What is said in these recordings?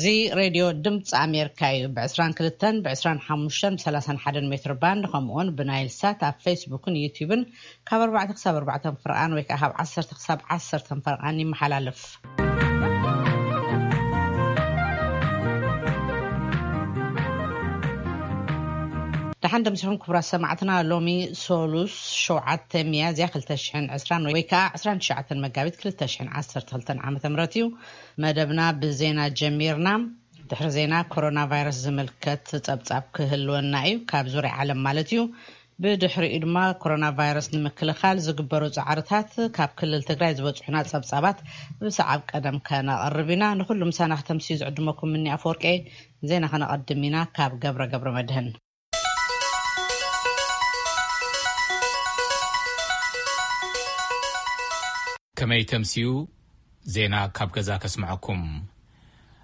እዚ ሬድዮ ድምፂ ኣሜሪካ እዩ። ብ22፣ ብ25፣ ብ31 ሜትር ባንድ፣ ከምኡውን ብናይል ሳት ኣብ ፌስቡክን ዩቲዩብን ካብ ኣርባዕተ ክሳብ ኣርባዕተ ፈረቓን ወይ ከዓ ካብ ዓሰርተ ክሳብ ዓሰርተ ፈረቓን ይመሓላለፍ። ደሓን ደምሲኹም ክቡራት ሰማዕትና። ሎሚ ሶሉስ ሸውዓተ ሚያዝያ ክልተ ሽሕን ዕስራን ወይ ከዓ ዕስራን ትሽዓተን መጋቢት ክልተ ሽሕን ዓሰርተ ክልተን ዓመተ ምህረት እዩ። መደብና ብዜና ጀሚርና። ድሕሪ ዜና ኮሮና ቫይረስ ዝምልከት ጸብጻብ ክህልወና እዩ፣ ካብ ዙርያ ዓለም ማለት እዩ። ብድሕሪኡ ድማ ኮሮና ቫይረስ ንምክልኻል ዝግበሩ ጻዕርታት፣ ካብ ክልል ትግራይ ዝበጽሑና ጸብጻባት ብሰዓብ ቀደም ከነቕርብ ኢና። ንኹሉ ምሳና ክተምስዩ ዝዕድመኩም ምኒ ኣፈወርቂ። ዜና ከነቐድም ኢና ካብ ገብረ ገብረ መድህን። ከመይ ተምስዩ? ዜና ካብ ገዛ ከስምዐኩም።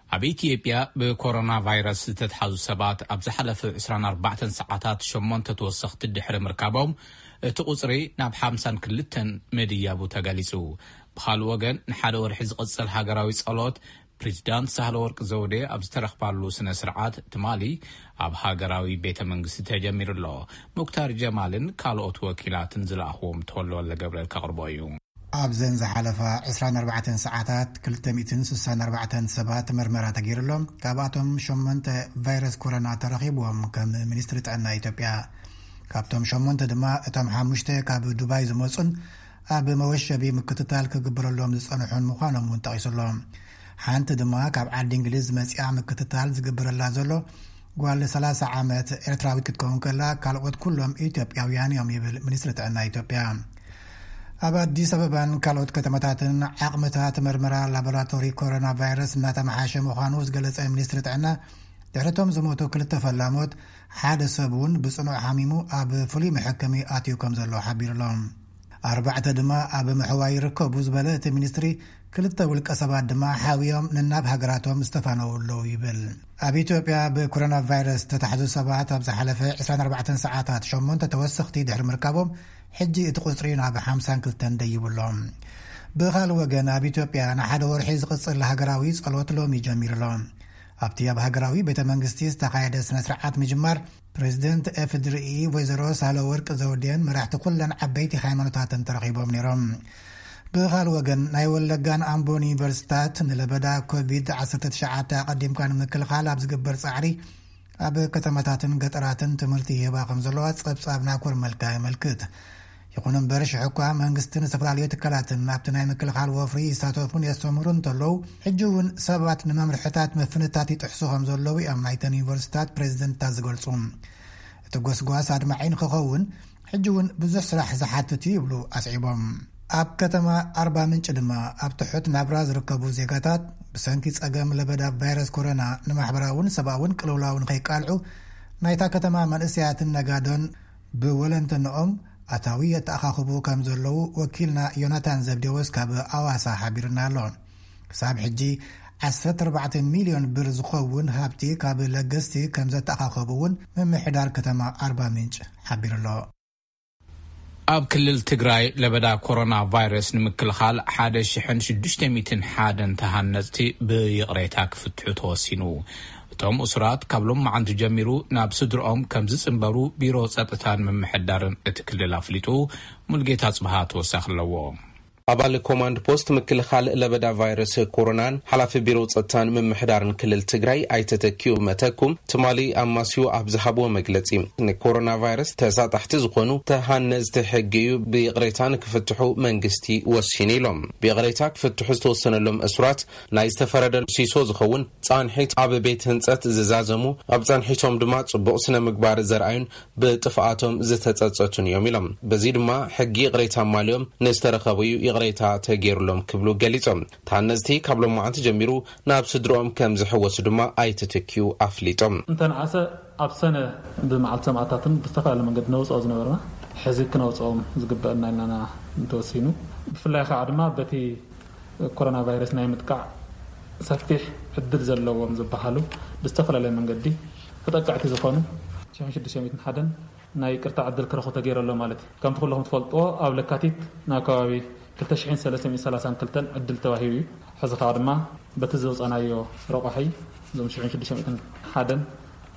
ኣብ ኢትዮጵያ ብኮሮና ቫይረስ ዝተትሓዙ ሰባት ኣብ ዝሓለፈ ዕስራን ኣርባዕተን ሰዓታት ሸሞንተ ተወሰኽቲ ድሕሪ ምርካቦም፣ እቲ ቁጽሪ ናብ ሓምሳን ክልተን ምድያቡ ተገሊጹ። ብኻልእ ወገን፣ ንሓደ ወርሒ ዝቕጽል ሃገራዊ ጸሎት ፕሬዚዳንት ሳህለወርቅ ዘውዴ ኣብ ዝተረኽባሉ ስነ ስርዓት ትማሊ ኣብ ሃገራዊ ቤተ መንግስቲ ተጀሚሩ ኣሎ። ሙክታር ጀማልን ካልኦት ወኪላትን ዝለኣኽዎም ተወልደ ወልደ ገብርኤል ከቕርቦ እዩ። ኣብዘን ዝሓለፋ ዕስራን ኣርባዕተን ሰዓታት ክልተ ሚእትን ስሳን ኣርባዕተን ሰባት ምርመራ ተገይሩሎም። ካብኣቶም ሸሞንተ ቫይረስ ኮሮና ተረኺብዎም፣ ከም ሚኒስትሪ ጥዕና ኢትዮጵያ። ካብቶም ሸሞንተ ድማ እቶም ሓሙሽተ ካብ ዱባይ ዝመጹን ኣብ መወሸቢ ምክትታል ክግበረሎም ዝጸንሑን ምዃኖም እውን ጠቒሱ ኣሎ። ሓንቲ ድማ ካብ ዓዲ እንግሊዝ መጺኣ ምክትታል ዝግበረላ ዘሎ ጓል ሰላሳ ዓመት ኤርትራዊት ክትከውን ከላ፣ ካልኦት ኩሎም ኢትዮጵያውያን እዮም ይብል ሚኒስትሪ ጥዕና ኢትዮጵያ። ኣብ ኣዲስ ኣበባን ካልኦት ከተማታትን ዓቕምታት መርመራ ላቦራቶሪ ኮሮና ቫይረስ እናተመሓሸ ምዃኑ ዝገለጸ ሚኒስትሪ ጥዕና፣ ድሕሪቶም ዝሞቱ ክልተ ፈላሞት፣ ሓደ ሰብ እውን ብጽኑዕ ሓሚሙ ኣብ ፍሉይ መሐከሚ ኣትዩ ከም ዘሎ ሓቢሩ ኣሎ። ኣርባዕተ ድማ ኣብ ምሕዋይ ይርከቡ ዝበለ እቲ ሚኒስትሪ፣ ክልተ ውልቀ ሰባት ድማ ሓውዮም ነናብ ሃገራቶም ዝተፋነዉ ኣለዉ ይብል። ኣብ ኢትዮጵያ ብኮሮና ቫይረስ ዝተታሕዙ ሰባት ኣብ ዝሓለፈ ዕስራን ኣርባዕተን ሰዓታት ሸሞንተ ተወሰኽቲ ድሕሪ ምርካቦም፣ ሕጂ እቲ ቁጽሪ ናብ ሓምሳን ክልተን ደይቡ ኣሎ። ብኻልእ ወገን፣ ኣብ ኢትዮጵያ ንሓደ ወርሒ ዝቕጽል ሃገራዊ ጸሎት ሎሚ ጀሚሩ ኣሎ። ኣብቲ ኣብ ሃገራዊ ቤተ መንግስቲ ዝተኻየደ ስነ ስርዓት ምጅማር፣ ፕሬዚደንት ኤፍድርኢ ወይዘሮ ሳህለወርቅ ዘውዴን መራሕቲ ኩለን ዓበይቲ ሃይማኖታትን ተረኺቦም ነይሮም። ብኻልእ ወገን፣ ናይ ወለጋን ኣምቦን ዩኒቨርሲታት ንለበዳ ኮቪድ ዓሰርተ ትሽዓተ ኣቐዲምካ ንምክልኻል ኣብ ዝግበር ጻዕሪ፣ ኣብ ከተማታትን ገጠራትን ትምህርቲ ይህባ ከም ዘለዋ ጸብጻብ ናኮር መልካ የመልክት። ይኹን እምበር፣ ሽሕ እኳ መንግስትን ዝተፈላለዩ ትካላትን ኣብቲ ናይ ምክልኻል ወፍሪ ይሳተፉን የስተምህሩ እንተለዉ፣ ሕጂ እውን ሰባት ንመምርሕታት ምፍንታት ይጥሕሱ ከም ዘለዉ እዮም ናይተን ዩኒቨርሲታት ፕሬዚደንትታት ዝገልጹ። እቲ ጎስጓስ ኣድማዒ ንክኸውን፣ ሕጂ እውን ብዙሕ ስራሕ ዝሓትት እዩ ይብሉ ኣስዒቦም። ኣብ ከተማ ኣርባ ምንጭ ድማ፣ ኣብ ትሑት ናብራ ዝርከቡ ዜጋታት፣ ብሰንኪ ጸገም ለበዳ ቫይረስ ኮሮና፣ ንማሕበራውን ሰብኣውን ቅልውላው ንኸይቃልዑ፣ ናይታ ከተማ መንእሰያትን ነጋዶን ብወለንተንኦም ኣታዊ የተኣኻኽቡ ከም ዘለዉ ወኪልና ዮናታን ዘብዴዎስ ካብ ኣዋሳ ሓቢሩና ኣሎ። ክሳብ ሕጂ ዓሰርተ ኣርባዕተ ሚልዮን ብር ዝኸውን ሃብቲ ካብ ለገስቲ ከም ዘተኣኻኸቡ እውን ምምሕዳር ከተማ ኣርባ ምንጭ ሓቢሩ ኣሎ። ኣብ ክልል ትግራይ ለበዳ ኮሮና ቫይረስ ንምክልኻል ሓደ ሽሕን ሽዱሽተ ሚእትን ሓደን ተሃነፅቲ ብይቕሬታ ክፍትሑ ተወሲኑ። እቶም እሱራት ካብ ሎማዓንቲ ጀሚሩ ናብ ስድርኦም ከም ዝፅንበሩ ቢሮ ፀጥታን ምምሕዳርን እቲ ክልል ኣፍሊጡ። ሙልጌታ ጽብሃ ተወሳኺ ኣለዎ። ኣባል ኮማንድ ፖስት ምክልኻል ለበዳ ቫይረስ ኮሮናን ሓላፊ ቢሮ ጸጥታን ምምሕዳርን ክልል ትግራይ ኣይተ ተኪኡ መተኩም ትማሊ ኣማስዩ ኣብ ዝሃብዎ መግለጺ፣ ንኮሮና ቫይረስ ተሳጣሕቲ ዝኾኑ ተሃነዝቲ ሕጊ እዩ ብይቕሬታ ንክፍትሑ መንግስቲ ወሲኑ ኢሎም። ብይቕሬታ ክፍትሑ ዝተወሰነሎም እሱራት ናይ ዝተፈረደ ሲሶ ዝኸውን ጻንሒት ኣብ ቤት ህንጸት ዝዛዘሙ፣ ኣብ ጻንሒቶም ድማ ጽቡቕ ስነ ምግባር ዘርኣዩን ብጥፍኣቶም ዝተጸጸቱን እዮም ኢሎም። በዚ ድማ ሕጊ ይቕሬታ ኣማልዮም ንዝተረኸቡ እዩ ይቕሬታ ተገይሩሎም ክብሉ ገሊጾም። ተሃነዝቲ ካብ ሎማዓንቲ ጀሚሩ ናብ ስድርኦም ከም ዝሕወሱ ድማ ኣይተ ተኪኡ ኣፍሊጦም። እንተነኣሰ ኣብ ሰነ ብመዓልቲ ሰማእታትን ብዝተፈላለየ መንገዲ ነውፅኦ ዝነበርና ሕዚ ክነውፅኦም ዝግበአና ኢልና እንተወሲኑ፣ ብፍላይ ከዓ ድማ በቲ ኮሮና ቫይረስ ናይ ምጥቃዕ ሰፊሕ ዕድል ዘለዎም ዝበሃሉ ብዝተፈላለየ መንገዲ ተጠቃዕቲ ዝኾኑ ሽሕን ሽዱሽተ ሚእትን ሓደን ናይ ይቅርታ ዕድል ክረኽቡ ተገይሩ ኣሎ ማለት እዩ። ከምቲ ኩለኹም ትፈልጥዎ ኣብ ለካቲት ናብ ከባቢ ክልተ ሽሕን ሰለስተ ሚእትን ሰላሳን ክልተን ዕድል ተዋሂቡ እዩ። ሕዚ ከዓ ድማ በቲ ዘውፃናዮ ረቋሒ እዞም ሽሕን ሽዱሽተ ሚእትን ሓደን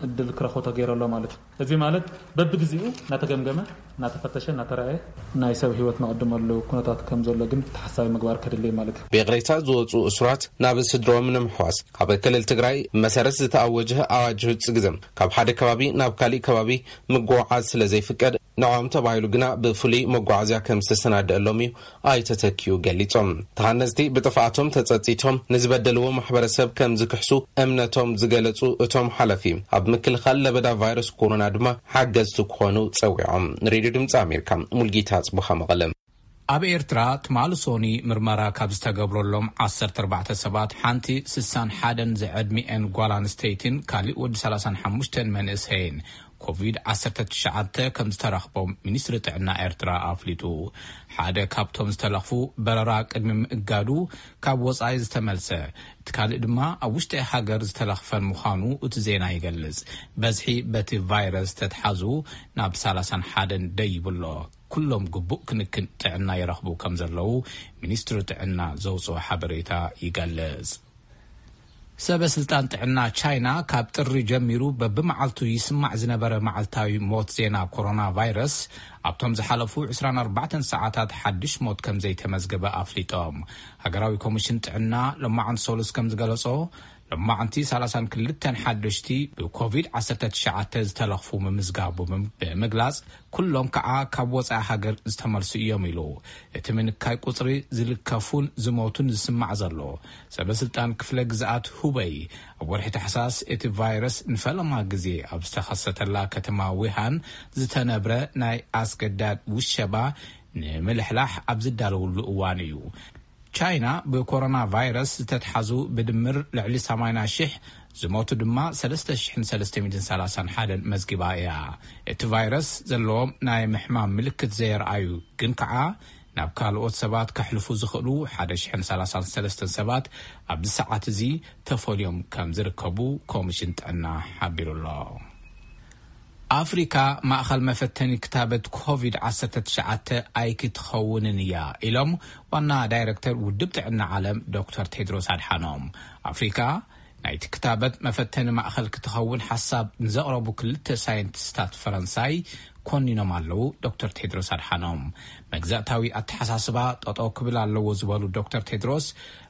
ዕድል ክረኽቡ ተገይሩ ኣሎ ማለት እዩ። እዚ ማለት በብግዜኡ እናተገምገመ፣ እናተፈተሸ፣ እናተረኣየ ናይ ሰብ ህይወት ንቐድመሉ ኩነታት ከም ዘሎ ግን ተሓሳቢ ምግባር ከድሊ ማለት እዩ። ብይቕሬታ ዝወፁ እሱራት ናብ ስድሮም ንምሕዋስ ኣብ ክልል ትግራይ መሰረት ዝተኣወጀ ኣዋጅ ህፁ ግዘ ካብ ሓደ ከባቢ ናብ ካሊእ ከባቢ ምጉዓዝ ስለ ዘይፍቀድ፣ ንዕኦም ተባሂሉ ግና ብፍሉይ መጓዓዝያ ከም ዝተሰናደአሎም እዩ ኣይተተኪኡ ገሊጾም። ተሃነፅቲ ብጥፍኣቶም ተጸጺቶም ንዝበደልዎ ማሕበረሰብ ከም ዝክሕሱ እምነቶም ዝገለጹ እቶም ሓለፊ፣ ኣብ ምክልኻል ለበዳ ቫይረስ ኮሮና ድማ ሓገዝቲ ክኾኑ ጸዊዖም። ንሬድዮ ድምፂ ኣሜሪካ፣ ሙልጌታ ኣጽብሃ፣ መቐለ። ኣብ ኤርትራ ትማሊ ሶኒ ምርመራ ካብ ዝተገብረሎም ዓሰርተ ኣርባዕተ ሰባት ሓንቲ ስሳን ሓደን ዝዕድሚኤን ጓል ኣንስተይትን ካሊእ ወዲ ሰላሳን ሓሙሽተን መንእሰይን ኮቪድ ዓሰርተ ትሽዓተ ከም ዝተረኽቦም ሚኒስትሪ ጥዕና ኤርትራ ኣፍሊጡ። ሓደ ካብቶም ዝተለኽፉ በረራ ቅድሚ ምእጋዱ ካብ ወጻኢ ዝተመልሰ፣ እቲ ካልእ ድማ ኣብ ውሽጢ ሃገር ዝተለኽፈን ምዃኑ እቲ ዜና ይገልጽ። በዝሒ በቲ ቫይረስ ተትሓዙ ናብ ሰላሳን ሓደን ደይብሎ። ኩሎም ግቡእ ክንክን ጥዕና ይረኽቡ ከም ዘለዉ ሚኒስትሪ ጥዕና ዘውፅኦ ሓበሬታ ይገልጽ። ሰበ ስልጣን ጥዕና ቻይና ካብ ጥሪ ጀሚሩ በብመዓልቱ ይስማዕ ዝነበረ መዓልታዊ ሞት ዜና ኮሮና ቫይረስ ኣብቶም ዝሓለፉ ዕስራን ኣርባዕተን ሰዓታት ሓድሽ ሞት ከም ዘይተመዝገበ ኣፍሊጦም። ሃገራዊ ኮሚሽን ጥዕና ሎማዕንቲ ሰሉስ ከም ዝገለጾ፣ ሎማዕንቲ ሰላሳን ክልተን ሓደሽቲ ብኮቪድ ዓሰርተ ትሽዓተ ዝተለኽፉ ምምዝጋቡ ብምግላጽ፣ ኩሎም ከዓ ካብ ወፃኢ ሃገር ዝተመልሱ እዮም ኢሉ። እቲ ምንካይ ቁፅሪ ዝልከፉን ዝሞቱን ዝስማዕ ዘሎ፣ ሰበ ስልጣን ክፍለ ግዝኣት ሁበይ ኣብ ወርሒ ታሕሳስ እቲ ቫይረስ ንፈለማ ግዜ ኣብ ዝተኸሰተላ ከተማ ዊሃን ዝተነብረ ናይ ኣስገዳድ ውሸባ ንምልሕላሕ ኣብ ዝዳለውሉ እዋን እዩ። ቻይና ብኮሮና ቫይረስ ዝተትሓዙ ብድምር ልዕሊ ሰማንያ ሽሕ፣ ዝሞቱ ድማ ሰለስተ ሽሕን ሰለስተ ሚእትን ሰላሳን ሓደን መዝጊባ እያ። እቲ ቫይረስ ዘለዎም ናይ ምሕማም ምልክት ዘየርኣዩ ግን ከዓ ናብ ካልኦት ሰባት ከሕልፉ ዝኽእሉ ሓደ ሽሕን ሰላሳን ሰለስተን ሰባት ኣብዚ ሰዓት እዚ ተፈልዮም ከም ዝርከቡ ኮሚሽን ጥዕና ሓቢሩ ኣሎ። ኣፍሪካ ማእኸል መፈተኒ ክታበት ኮቪድ ዓሰርተ ትሽዓተ ኣይክትኸውንን እያ ኢሎም ዋና ዳይረክተር ውድብ ጥዕና ዓለም ዶክተር ቴድሮስ ኣድሓኖም። ኣፍሪካ ናይቲ ክታበት መፈተኒ ማእኸል ክትኸውን ሓሳብ ንዘቕረቡ ክልተ ሳይንቲስታት ፈረንሳይ ኮኒኖም ኣለዉ። ዶክተር ቴድሮስ ኣድሓኖም መግዛእታዊ ኣተሓሳስባ ጠጠው ክብል ኣለዎ ዝበሉ ዶክተር ቴድሮስ፣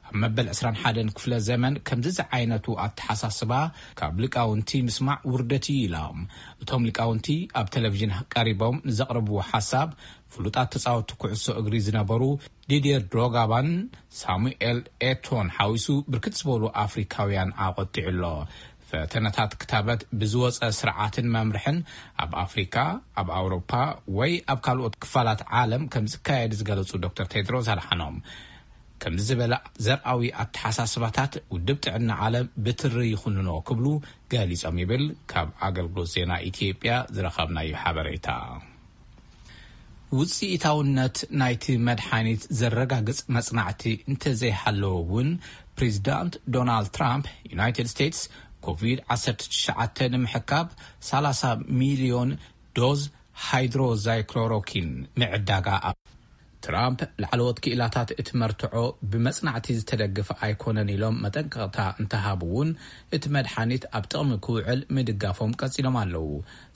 ኣብ መበል ዕስራን ሓደን ክፍለ ዘመን ከምዚ ዝዓይነቱ ኣተሓሳስባ ካብ ሊቃውንቲ ምስማዕ ውርደት እዩ ኢሎም። እቶም ሊቃውንቲ ኣብ ቴሌቪዥን ቀሪቦም ንዘቕረብዎ ሓሳብ፣ ፍሉጣት ተጻወትቲ ኩዕሶ እግሪ ዝነበሩ ዲድየር ድሮጋባን ሳሙኤል ኤቶን ሓዊሱ ብርክት ዝበሉ ኣፍሪካውያን ኣቆጢዑ ኣሎ። ፈተነታት ክታበት ብዝወፀ ስርዓትን መምርሕን ኣብ ኣፍሪካ፣ ኣብ ኣውሮፓ ወይ ኣብ ካልኦት ክፋላት ዓለም ከም ዝካየድ ዝገለጹ ዶክተር ቴድሮስ ኣድሓኖም፣ ከምዚ ዝበለ ዘርኣዊ ኣተሓሳስባታት ውድብ ጥዕና ዓለም ብትሪ ይኹንኖ ክብሉ ገሊጾም ይብል ካብ ኣገልግሎት ዜና ኢትዮጵያ ዝረኸብናዮ ሓበሬታ። ውፅኢታውነት ናይቲ መድሓኒት ዘረጋግፅ መፅናዕቲ እንተዘይሃለወ እውን፣ ፕሬዚዳንት ዶናልድ ትራምፕ ዩናይትድ ስቴትስ ኮቪድ ዓሰርተ ትሽዓተ ንምሕካብ ሰላሳ ሚልዮን ዶዝ ሃይድሮዛይክሎሮኪን ምዕዳጋ ኣብ ትራምፕ ላዕለዎት ክኢላታት እቲ መርትዖ ብመጽናዕቲ ዝተደገፈ ኣይኮነን ኢሎም መጠንቀቕታ እንተሃቡ እውን፣ እቲ መድሓኒት ኣብ ጥቕሚ ክውዕል ምድጋፎም ቀጺሎም ኣለዉ።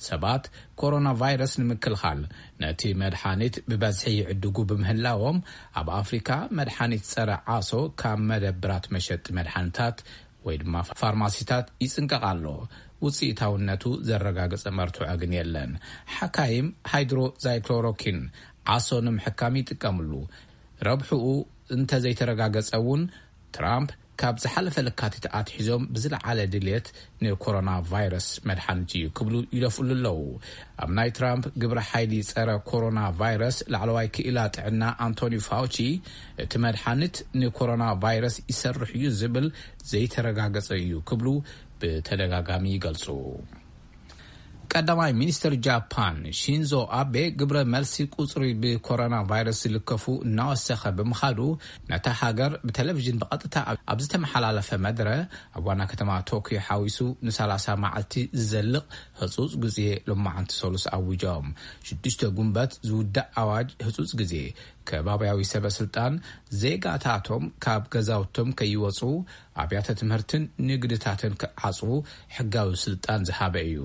ሰባት ኮሮና ቫይረስ ንምክልኻል ነቲ መድሓኒት ብበዝሒ ይዕድጉ ብምህላዎም፣ ኣብ ኣፍሪካ መድሓኒት ጸረ ዓሶ ካብ መደብራት መሸጢ መድሓኒታት ወይ ድማ ፋርማሲታት ይጽንቀቕ ኣሎ። ውጽኢታውነቱ ዘረጋገጸ መርትዖ ግን የለን። ሓካይም ሃይድሮዛይክሎሮኪን ዓሶ ንምሕካም ይጥቀምሉ። ረብሕኡ እንተዘይተረጋገጸ እውን፣ ትራምፕ ካብ ዝሓለፈ ለካቲት ኣትሒዞም ብዝለዓለ ድልየት ንኮሮና ቫይረስ መድሓኒት እዩ ክብሉ ይደፍእሉ ኣለዉ። ኣብ ናይ ትራምፕ ግብረ ሓይሊ ጸረ ኮሮና ቫይረስ ላዕለዋይ ክኢላ ጥዕና ኣንቶኒ ፋውቺ፣ እቲ መድሓኒት ንኮሮና ቫይረስ ይሰርሕ እዩ ዝብል ዘይተረጋገጸ እዩ ክብሉ ብተደጋጋሚ ይገልጹ። ቀዳማይ ሚኒስትር ጃፓን ሺንዞ ኣቤ ግብረ መልሲ ቁጽሪ ብኮሮና ቫይረስ ዝልከፉ እናወሰኸ ብምኻዱ፣ ነታ ሃገር ብቴሌቪዥን ብቐጥታ ኣብ ዝተመሓላለፈ መድረ፣ ኣብ ዋና ከተማ ቶክዮ ሓዊሱ ንሰላሳ መዓልቲ ዝዘልቕ ህጹጽ ግዜ ሎማዓንቲ ሰሉስ ኣዊጆም። ሽዱሽተ ጉንበት ዝውዳእ ኣዋጅ ህጹጽ ግዜ፣ ከባብያዊ ሰበ ስልጣን ዜጋታቶም ካብ ገዛውቶም ከይወጹ፣ ኣብያተ ትምህርትን ንግድታትን ክዓጽዉ ሕጋዊ ስልጣን ዝሃበ እዩ።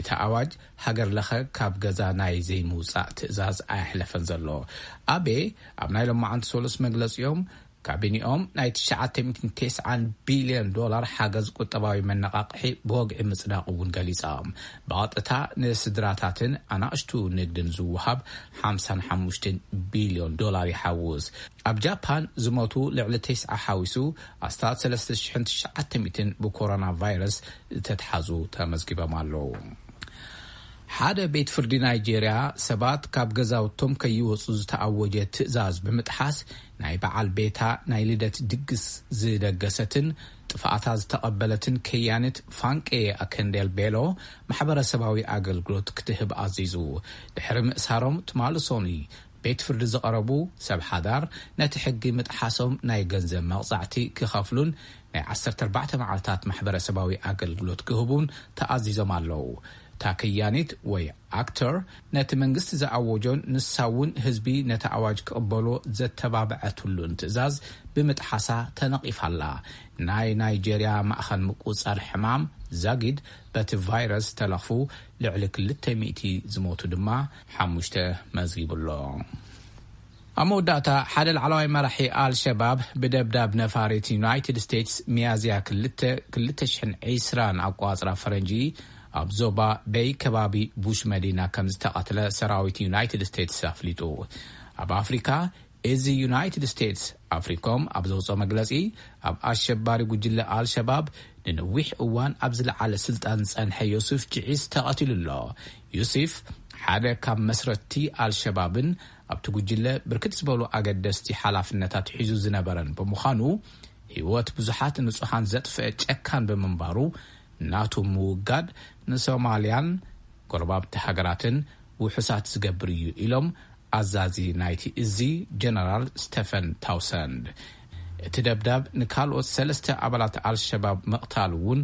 እቲ ኣዋጅ ሃገር ለኸ ካብ ገዛ ናይ ዘይምውጻእ ትእዛዝ ኣየሕለፈን ዘሎ። ኣቤ ኣብ ናይ ሎማዓንቲ ሰሉስ መግለጺኦም፣ ካቢኒኦም ናይ ትሽዓተ ሚእትን ተስዓን ቢልዮን ዶላር ሓገዝ ቁጠባዊ መነቓቕሒ ብወግዒ ምጽዳቕ እውን ገሊጻ። ብቐጥታ ንስድራታትን ኣናእሽቱ ንግድን ዝወሃብ ሓምሳን ሓሙሽተን ቢልዮን ዶላር ይሓውስ። ኣብ ጃፓን ዝሞቱ ልዕሊ ተስዓ ሓዊሱ ኣስታት ሰለስተ ሽሕን ትሽዓተ ሚእትን ብኮሮና ቫይረስ ዝተትሓዙ ተመዝጊቦም ኣለዉ። ሓደ ቤት ፍርዲ ናይጄርያ ሰባት ካብ ገዛውቶም ከይወጹ ዝተኣወጀ ትእዛዝ ብምጥሓስ፣ ናይ በዓል ቤታ ናይ ልደት ድግስ ዝደገሰትን ጥፍኣታ ዝተቐበለትን ከያኒት ፋንቄ ኣከንዴል ቤሎ ማሕበረሰባዊ ኣገልግሎት ክትህብ ኣዚዙ። ድሕሪ ምእሳሮም ትማሊ ሶኒ ቤት ፍርዲ ዝቐረቡ ሰብ ሓዳር፣ ነቲ ሕጊ ምጥሓሶም ናይ ገንዘብ መቕጻዕቲ ክኸፍሉን ናይ ዓሰርተ ኣርባዕተ መዓልታት ማሕበረሰባዊ ኣገልግሎት ክህቡን ተኣዚዞም ኣለዉ። እታ ከያኒት ወይ ኣክተር፣ ነቲ መንግስቲ ዝኣወጆን ንሳ እውን ህዝቢ ነቲ ኣዋጅ ክቕበሎ ዘተባብዐትሉን ትእዛዝ ብምጥሓሳ ተነቒፋ ኣላ። ናይ ናይጄርያ ማእኸል ምቁጽጻር ሕማም ዛጊድ፣ በቲ ቫይረስ ዝተለኽፉ ልዕሊ ክልተ ሚእቲ፣ ዝሞቱ ድማ ሓሙሽተ መዝጊቡ ኣሎ። ኣብ መወዳእታ፣ ሓደ ላዕለዋይ መራሒ ኣልሸባብ ብደብዳብ ነፋሪት ዩናይትድ ስቴትስ፣ ሚያዝያ ክልተ፣ ክልተ ሽሕን ዕስራን ኣቋጽራ ፈረንጂ፣ ኣብ ዞባ በይ ከባቢ ቡሽ መዲና ከም ዝተቐትለ ሰራዊት ዩናይትድ ስቴትስ ኣፍሊጡ። ኣብ ኣፍሪካ፣ እዚ ዩናይትድ ስቴትስ ኣፍሪኮም ኣብ ዘውፅኦ መግለፂ፣ ኣብ ኣሸባሪ ጉጅለ ኣልሸባብ ንነዊሕ እዋን ኣብ ዝለዓለ ስልጣን ዝጸንሐ ዮሱፍ ጅዒስ ተቐቲሉ ኣሎ። ዮሱፍ ሓደ ካብ መስረትቲ ኣልሸባብን ኣብቲ ጉጅለ ብርክት ዝበሉ ኣገደስቲ ሓላፍነታት ሒዙ ዝነበረን ብምዃኑ፣ ህይወት ብዙሓት ንጹሃን ዘጥፍአ ጨካን ብምንባሩ፣ ናቱ ምውጋድ ንሶማልያን ጎረባብቲ ሃገራትን ውሑሳት ዝገብር እዩ ኢሎም ኣዛዚ ናይቲ እዚ ጀነራል ስቴፈን ታውሰንድ። እቲ ደብዳብ ንካልኦት ሰለስተ ኣባላት ኣልሸባብ ምቕታል እውን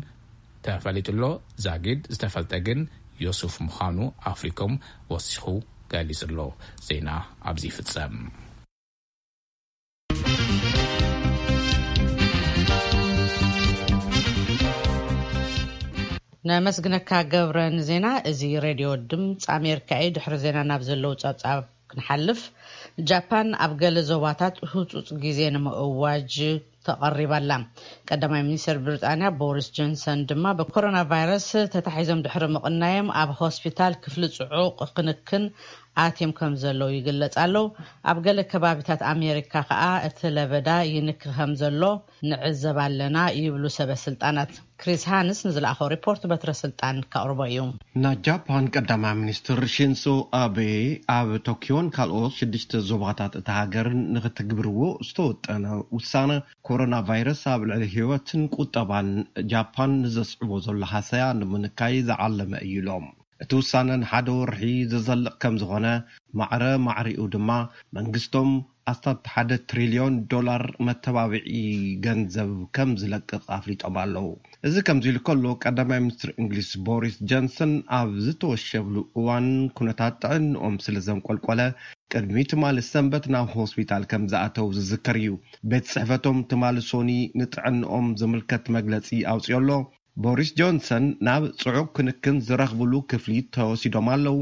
ተፈሊጡ ኣሎ። ዛጊድ ዝተፈልጠ ግን ዮሱፍ ምዃኑ ኣፍሪኮም ወሲኹ ገሊጹ ኣሎ። ዜና ኣብዚ ይፍጸም። ነመስግነካ ገብረ ንዜና። እዚ ሬድዮ ድምፂ ኣሜሪካ እዩ። ድሕሪ ዜና ናብ ዘለዉ ጸብጻብ ክንሓልፍ፣ ጃፓን ኣብ ገለ ዞባታት ህጹጽ ግዜ ንምእዋጅ ተቐሪባ ኣላ። ቀዳማይ ሚኒስትር ብሪጣንያ ቦሪስ ጆንሰን ድማ ብኮሮና ቫይረስ ተታሒዞም ድሕሪ ምቕናዮም ኣብ ሆስፒታል ክፍሊ ጽዑቕ ክንክን ኣትዮም ከም ዘለዉ ይግለጽ ኣለዉ። ኣብ ገለ ከባቢታት ኣሜሪካ ከኣ እቲ ለበዳ ይንኪ ከም ዘሎ ንዕዘብ ኣለና ይብሉ ሰበ ስልጣናት። ክሪስ ሃንስ ንዝለኣኸው ሪፖርት በትረ ስልጣን ከቕርቦ እዩ። ናይ ጃፓን ቀዳማይ ሚኒስትር ሺንሶ ኣቤ ኣብ ቶኪዮን ካልኦት ሽዱሽተ ዞባታት እታ ሃገርን ንክትግብርዎ ዝተወጠነ ውሳነ፣ ኮሮና ቫይረስ ኣብ ልዕሊ ህይወትን ቁጠባን ጃፓን ንዘስዕቦ ዘሎ ሃሰያ ንምንካይ ዝዓለመ እዩ ኢሎም። እቲ ውሳነ ንሓደ ወርሒ ዝዘልቕ ከም ዝኾነ፣ ማዕረ ማዕሪኡ ድማ መንግስቶም ኣስታት ሓደ ትሪልዮን ዶላር መተባብዒ ገንዘብ ከም ዝለቅቕ ኣፍሊጦም ኣለዉ። እዚ ከምዚ ኢሉ ከሎ፣ ቀዳማይ ሚኒስትር እንግሊዝ ቦሪስ ጆንሰን ኣብ ዝተወሸብሉ እዋን፣ ኩነታት ጥዕንኦም ስለ ዘንቆልቆለ፣ ቅድሚ ትማሊ ሰንበት ናብ ሆስፒታል ከም ዝኣተው ዝዝከር እዩ። ቤት ጽሕፈቶም ትማሊ ሶኒ ንጥዕንኦም ዝምልከት መግለጺ ኣውጺኦ ኣሎ። ቦሪስ ጆንሰን ናብ ጽዑቕ ክንክን ዝረኽብሉ ክፍሊ ተወሲዶም ኣለዉ፣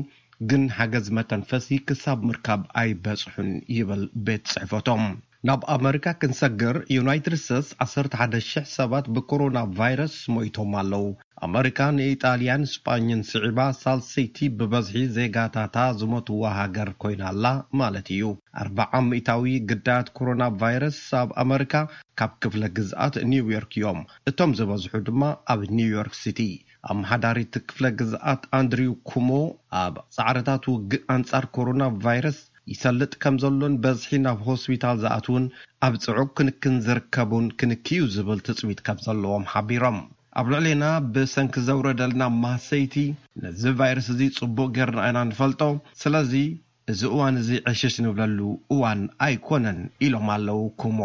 ግን ሓገዝ መተንፈሲ ክሳብ ምርካብ ኣይበጽሑን ይብል ቤት ጽሕፈቶም። ናብ ኣመሪካ ክንሰግር፣ ዩናይትድ ስቴትስ ዓሰርተ ሓደ ሽሕ ሰባት ብኮሮና ቫይረስ ሞይቶም ኣለዉ። ኣመሪካ ንኢጣልያን ስጳኝን ስዒባ ሳልሰይቲ ብበዝሒ ዜጋታታ ዝሞትዋ ሃገር ኮይና ኣላ ማለት እዩ። ኣርብዓ ሚእታዊ ግዳያት ኮሮና ቫይረስ ኣብ ኣመሪካ ካብ ክፍለ ግዝኣት ኒውዮርክ እዮም። እቶም ዝበዝሑ ድማ ኣብ ኒውዮርክ ሲቲ። ኣመሓዳሪ እቲ ክፍለ ግዝኣት ኣንድሪው ኩሞ፣ ኣብ ጻዕርታት ውግእ ኣንጻር ኮሮና ቫይረስ ይሰልጥ ከም ዘሎን በዝሒ ናብ ሆስፒታል ዝኣትውን ኣብ ጽዑቕ ክንክን ዝርከቡን ክንክዩ ዝብል ትጽቢት ከም ዘለዎም ሓቢሮም። ኣብ ልዕሌና ብሰንኪ ዘውረደልና ማህሰይቲ፣ ነዚ ቫይረስ እዚ ጽቡቕ ጌርና ኢና ንፈልጦ። ስለዚ፣ እዚ እዋን እዚ ዕሽሽ ንብለሉ እዋን ኣይኮነን ኢሎም ኣለዉ ኩሞ።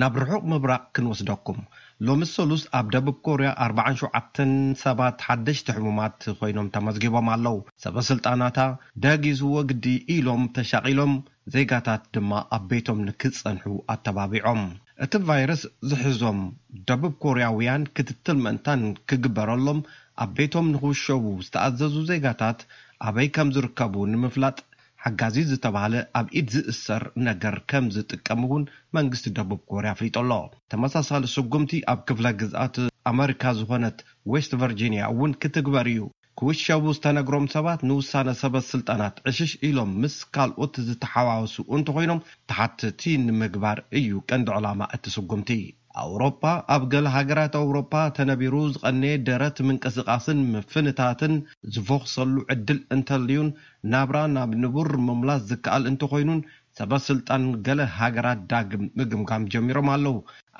ናብ ርሑቕ ምብራቕ ክንወስደኩም። ሎሚ ሰሉስ ኣብ ደቡብ ኮርያ ኣርባዓን ሸውዓተን ሰባት ሓደሽቲ ሕሙማት ኮይኖም ተመዝጊቦም ኣለዉ። ሰበ ስልጣናታ ደጊዝዎ ግዲ ኢሎም ተሻቒሎም፣ ዜጋታት ድማ ኣብ ቤቶም ንክጸንሑ ኣተባቢዖም። እቲ ቫይረስ ዝሕዞም ደቡብ ኮርያውያን ክትትል ምእንታን ክግበረሎም ኣብ ቤቶም ንኽውሸቡ ዝተኣዘዙ ዜጋታት ኣበይ ከም ዝርከቡ ንምፍላጥ ሓጋዚ ዝተባህለ ኣብ ኢድ ዝእሰር ነገር ከም ዝጥቀም እውን መንግስቲ ደቡብ ኮርያ ኣፍሊጡ ኣሎ። ተመሳሳሊ ስጉምቲ ኣብ ክፍለ ግዝኣት ኣመሪካ ዝኾነት ዌስት ቨርጂኒያ እውን ክትግበር እዩ። ክውሸቡ ዝተነግሮም ሰባት ንውሳነ ሰበ ስልጣናት ዕሽሽ ኢሎም ምስ ካልኦት ዝተሓዋወሱ እንተኾይኖም ተሓተቲ ንምግባር እዩ ቀንዲ ዕላማ እቲ ስጉምቲ። ኣውሮፓ፣ ኣብ ገለ ሃገራት ኣውሮፓ ተነቢሩ ዝቐነየ ደረት ምንቅስቓስን ምፍንታትን ዝፈኹሰሉ ዕድል እንተልዩን ናብራ ናብ ንቡር ምምላስ ዝከኣል እንተኾይኑን ሰበ ስልጣን ገለ ሃገራት ዳግም ምግምጋም ጀሚሮም ኣለዉ።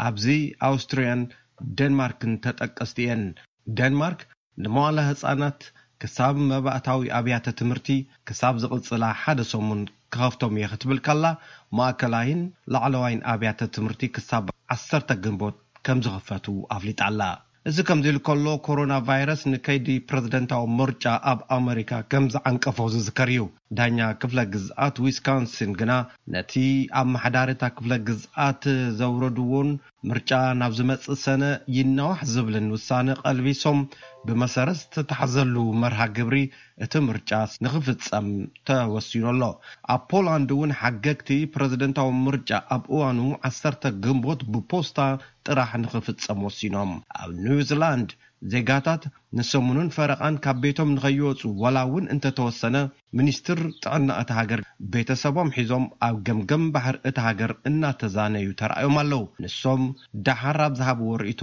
ኣብዚ ኣውስትርያን ዴንማርክን ተጠቀስቲ እየን። ዴንማርክ ንመዋለ ህጻናት ክሳብ መባእታዊ ኣብያተ ትምህርቲ ክሳብ ዝቕጽላ ሓደ ሰሙን ክኸፍቶም እየ ክትብል ከላ፣ ማእከላይን ላዕለዋይን ኣብያተ ትምህርቲ ክሳብ ዓሰርተ ግንቦት ከም ዝኽፈቱ ኣፍሊጣ ኣላ። እዚ ከምዚ ኢሉ ከሎ፣ ኮሮና ቫይረስ ንከይዲ ፕረዚደንታዊ ምርጫ ኣብ ኣመሪካ ከም ዝዓንቀፎ ዝዝከር እዩ። ዳኛ ክፍለ ግዝኣት ዊስካንሲን ግና ነቲ ኣመሓዳሪ እታ ክፍለ ግዝኣት ዘውረድዎን ምርጫ ናብ ዝመጽእ ሰነ ይናዋሕ ዝብልን ውሳነ ቀልቢሶም፣ ብመሰረት ዝተታሕዘሉ መርሃ ግብሪ እቲ ምርጫ ንኽፍጸም ተወሲኑ ኣሎ። ኣብ ፖላንድ እውን ሓገግቲ ፕረዚደንታዊ ምርጫ ኣብ እዋኑ ዓሰርተ ግንቦት ብፖስታ ጥራሕ ንኽፍጸም ወሲኖም። ኣብ ኒውዚላንድ ዜጋታት ንሰሙንን ፈረቓን ካብ ቤቶም ንኸይወጹ ዋላ እውን እንተተወሰነ፣ ሚኒስትር ጥዕና እታ ሃገር ቤተሰቦም ሒዞም ኣብ ገምገም ባሕሪ እታ ሃገር እናተዛነዩ ተራእዮም ኣለዉ። ንሶም ደሓር ኣብ ዝሃብዎ ርእይቶ፣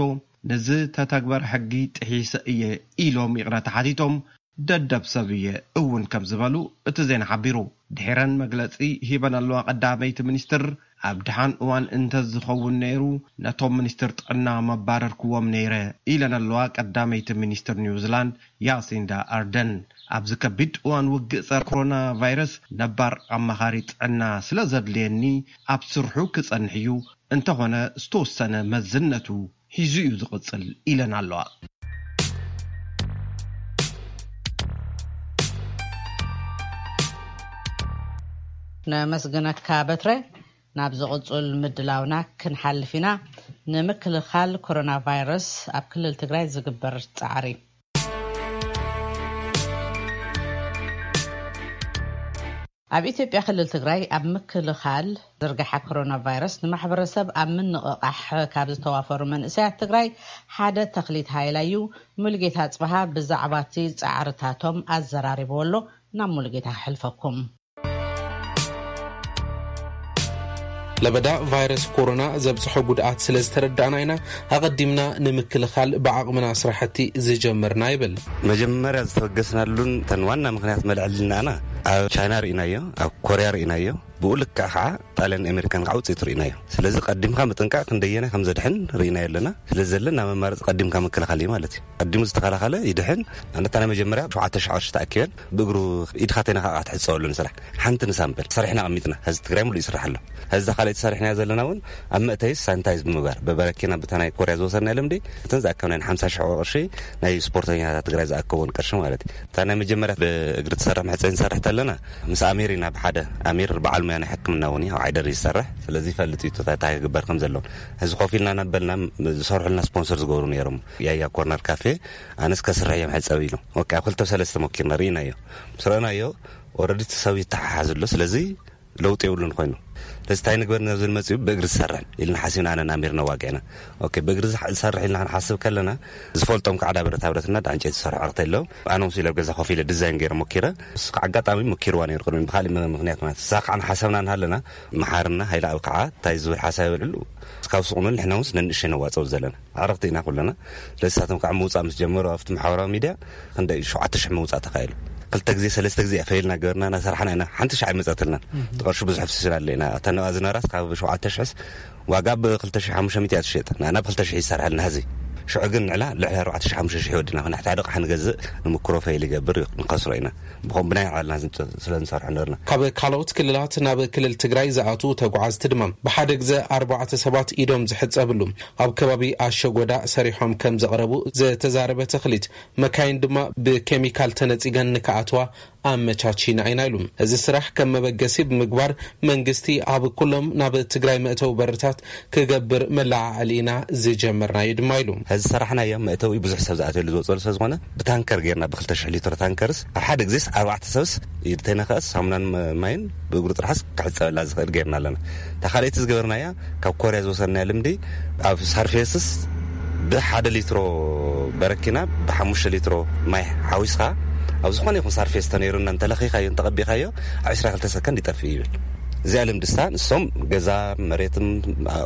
ነዚ ተተግበረ ሕጊ ጥሒሰ እየ ኢሎም ይቕረታ ሓቲቶም፣ ደደብ ሰብ እየ እውን ከም ዝበሉ እቲ ዜና ሓቢሩ። ድሒረን መግለጺ ሂበን ኣለዋ ቀዳመይቲ ሚኒስትር፣ ኣብ ደሓን እዋን እንተዝኸውን ነይሩ፣ ነቶም ሚኒስትር ጥዕና መባረርክዎም ነይረ ኢለን ኣለዋ ቀዳመይቲ ሚኒስትር ኒውዚላንድ ያሲንዳ ኣርደን። ኣብዚ ከቢድ እዋን ውግእ ጸረ ኮሮና ቫይረስ ነባር ኣማኻሪ ጥዕና ስለ ዘድልየኒ ኣብ ስርሑ ክጸንሕ እዩ፣ እንተኾነ ዝተወሰነ መዝነቱ ሒዙ እዩ ዝቕጽል ኢለን ኣለዋ። ነመስግነካ በትረ። ናብ ዝቕጽል ምድላውና ክንሓልፍ ኢና። ንምክልኻል ኮሮና ቫይረስ ኣብ ክልል ትግራይ ዝግበር ጻዕሪ። ኣብ ኢትዮጵያ ክልል ትግራይ ኣብ ምክልኻል ዝርግሐ ኮሮና ቫይረስ ንማሕበረሰብ ኣብ ምንቕቓሕ ካብ ዝተዋፈሩ መንእሰያት ትግራይ ሓደ ተኽሊት ሃይላ እዩ። ሙልጌታ ጽብሃ ብዛዕባ እቲ ጻዕርታቶም ኣዘራሪብዎ ኣሎ። ናብ ሙልጌታ ክሕልፈኩም። ለበዳ ቫይረስ ኮሮና ዘብፅሖ ጉድኣት ስለ ዝተረዳእና ኢና ኣቐዲምና ንምክልኻል ብዓቕምና ስራሕቲ ዝጀመርና ይብል። መጀመርያ ዝተበገስናሉን እተን ዋና ምኽንያት መልዐልናና ኣብ ቻይና ርኢናዮ፣ ኣብ ኮርያ ርኢናዮ፣ ብኡ ልክዕ ከዓ ጣልያን ኣሜሪካን ከዓ ውፅኢቱ ርኢናዮ። ስለዚ ቀዲምካ ምጥንቃቕ ክንደየናይ ከም ዘድሕን ርኢናዮ ኣለና። ስለዚ ዘለና መማረፂ ቀዲምካ ምክልኻል እዩ ማለት እዩ። ቀዲሙ ዝተኸላኸለ ይድሕን። ኣነታ ናይ መጀመርያ ሸውዓተ ሽሕ ቅርሺ ተኣኪበን ብእግሩ ኢድካ ተይነኻ ትሕፀወሉ ንስራሕ ሓንቲ ንሳምፕል ሰሪሕና ኣቐሚጥና። ሕዚ ትግራይ ሙሉእ ይስራሕ ኣሎ። ሕዚ ካልኣይቲ ሰሪሕናዮ ዘለና እውን ኣብ መእተይስ ሳኒታይዝ ብምግባር ብበረኪና ብታ ናይ ኮርያ ዝወሰድናዮ ልምዲ እተን ዝኣከብናየን ሓምሳ ሽሕ ቅርሺ ናይ ስፖርተኛታት ትግራይ ዝኣከብዎን ቅርሺ ማለት እዩ። እታ ናይ መጀመርያ ብእግሪ ትሰርሕ መሕፀኒ ንሰርሕ ተለና ምስ ኣሚር ኢና ብሓደ። ኣሚር በዓል ሙያ ናይ ሕክምና እውን እዩ፣ ኣብ ዓይደር እዩ ዝሰርሕ። ስለዚ ይፈልጥ እዩ እንታይ ክግበር ከም ዘለዎ። ሕዚ ኮፍ ኢልና እናበልና ዝሰርሑልና ስፖንሰር ዝገብሩ ነይሮም። ያያ ኮርነር ካፌ ኣነስ ከስርሕ እዮም ሕፀብ ኢሉ። ኦኬ፣ ኣብ ክልተ ሰለስተ ሞኪርና ርኢናዮ። ምስ ረእናዮ ኦረዲ እቲ ሰብ ይተሓሓዝ ኣሎ። ስለዚ ለውጢ የብሉን ኮይኑ። ስለዚ እንታይ ንግበር ነዚ ንመፅኡ ብእግሪ ዝሰርሕ ኢልና ሓሲብና ኣነን ኣሚርና ዋጊዕና። ኦኬ፣ ብእግሪ ዝሰርሕ ኢልና ክንሓስብ ከለና ዝፈልጦም ከዓ ዳ ብረታ ብረትና ዳ ዕንጨይቲ ዝሰርሑ ኣርክተ ኣለዉ። ኣነ ምስ ኢለ ኣብ ገዛ ኮፍ ኢለ ዲዛይን ገይረ ሞኪረ። እሱ ከዓ ኣጋጣሚ ሞኪርዋ ነይሩ ቅድሚ ብካሊእ ምክንያት ማለት እሳ ከዓ ንሓሰብና ንሃለና መሓርና ሃይለ ኣብ ከዓ እንታይ ዝብል ሓሳብ ይበልዕሉ እስካብ ስቑኑ ንሕና ውንስ ነንእሸይ ነዋፀው ዘለና ኣረኽቲ ኢና ኩለና። ስለዚ ንሳቶም ከዓ ምውፃእ ምስ ጀመሩ ኣብቲ ማሕበራዊ ሚድያ ክንደይ ሸውዓተ ሽሕ ምውፃእ ተኻኢሉ። ክልተ ግዜ ሰለስተ ግዜ እያ ፈይልና ገበርና እናሰራሕና ኢና። ሓንቲ ሻዕ ኣይመፀትልናን። እቲ ቅርሺ ብዙሕ ፍስስና ኣለና። እታ ንብኣ ዝነበራት ካብ ሸውዓተ ሽሕስ ዋጋ ብ ክልተ ሽሕ ሓሙሽተ ሚእቲ እያ ትሸጥ። ንኣና ብ ክልተ ሽሕ ይሰርሐልና ህዝቢ። ሽዑ ግን ንዕላ ልዕሊ ኣርባዕተ ሽሕ ሓሙሽተ ሽሕ ወድና፣ ንሕቲ ሓደ ኣቕሓ ንገዝእ፣ ንምክሮ ፈይል ይገብር፣ ንኸስሮ ኢና። ብኸም ብናይ ዓልና ስለ ንሰርሖ ነበርና። ካብ ካልኦት ክልላት ናብ ክልል ትግራይ ዝኣትዉ ተጓዓዝቲ ድማ ብሓደ ግዘ ኣርባዕተ ሰባት ኢዶም ዝሕፀብሉ ኣብ ከባቢ ኣሸጎዳ ሰሪሖም ከም ዘቕረቡ ዝተዛረበ ተኽሊት፣ መካይን ድማ ብኬሚካል ተነፂገን ንክኣትዋ ኣመቻቺና ኢና ኢሉ። እዚ ስራሕ ከም መበገሲ ብምግባር መንግስቲ ኣብ ኩሎም ናብ ትግራይ መእተዊ በርታት ክገብር መለዓዕሊ ኢና ዝጀመርናዮ ድማ ኢሉ። እዚ ሰራሕናዮ መእተዊ ብዙሕ ሰብ ዝኣትየሉ ዝወፀሉ ስለ ዝኾነ ብታንከር ጌርና፣ ብክልተ ሽሕ ሊትሮ ታንከርስ ኣብ ሓደ ግዜስ ኣርባዕተ ሰብስ ይተነኸእስ ሳሙናን ማይን ብእግሩ ጥራሕስ ክሕፀበላ ዝኽእል ጌርና ኣለና። እታ ካልኣይቲ ዝገበርናያ ካብ ኮርያ ዝወሰድናያ ልምዲ ኣብ ሳርፌስስ ብሓደ ሊትሮ በረኪና ብሓሙሽተ ሊትሮ ማይ ሓዊስኻ ኣብ ዝኾነ ይኹን ሳርፌስ ተነይሩና እንተለኺኻዮ እንተቐቢኻዮ ኣብ ዕስራ ክልተ ሰከንድ ይጠፍእ ይብል። እዚኣ ልምድሳ ንሶም ገዛ መሬትም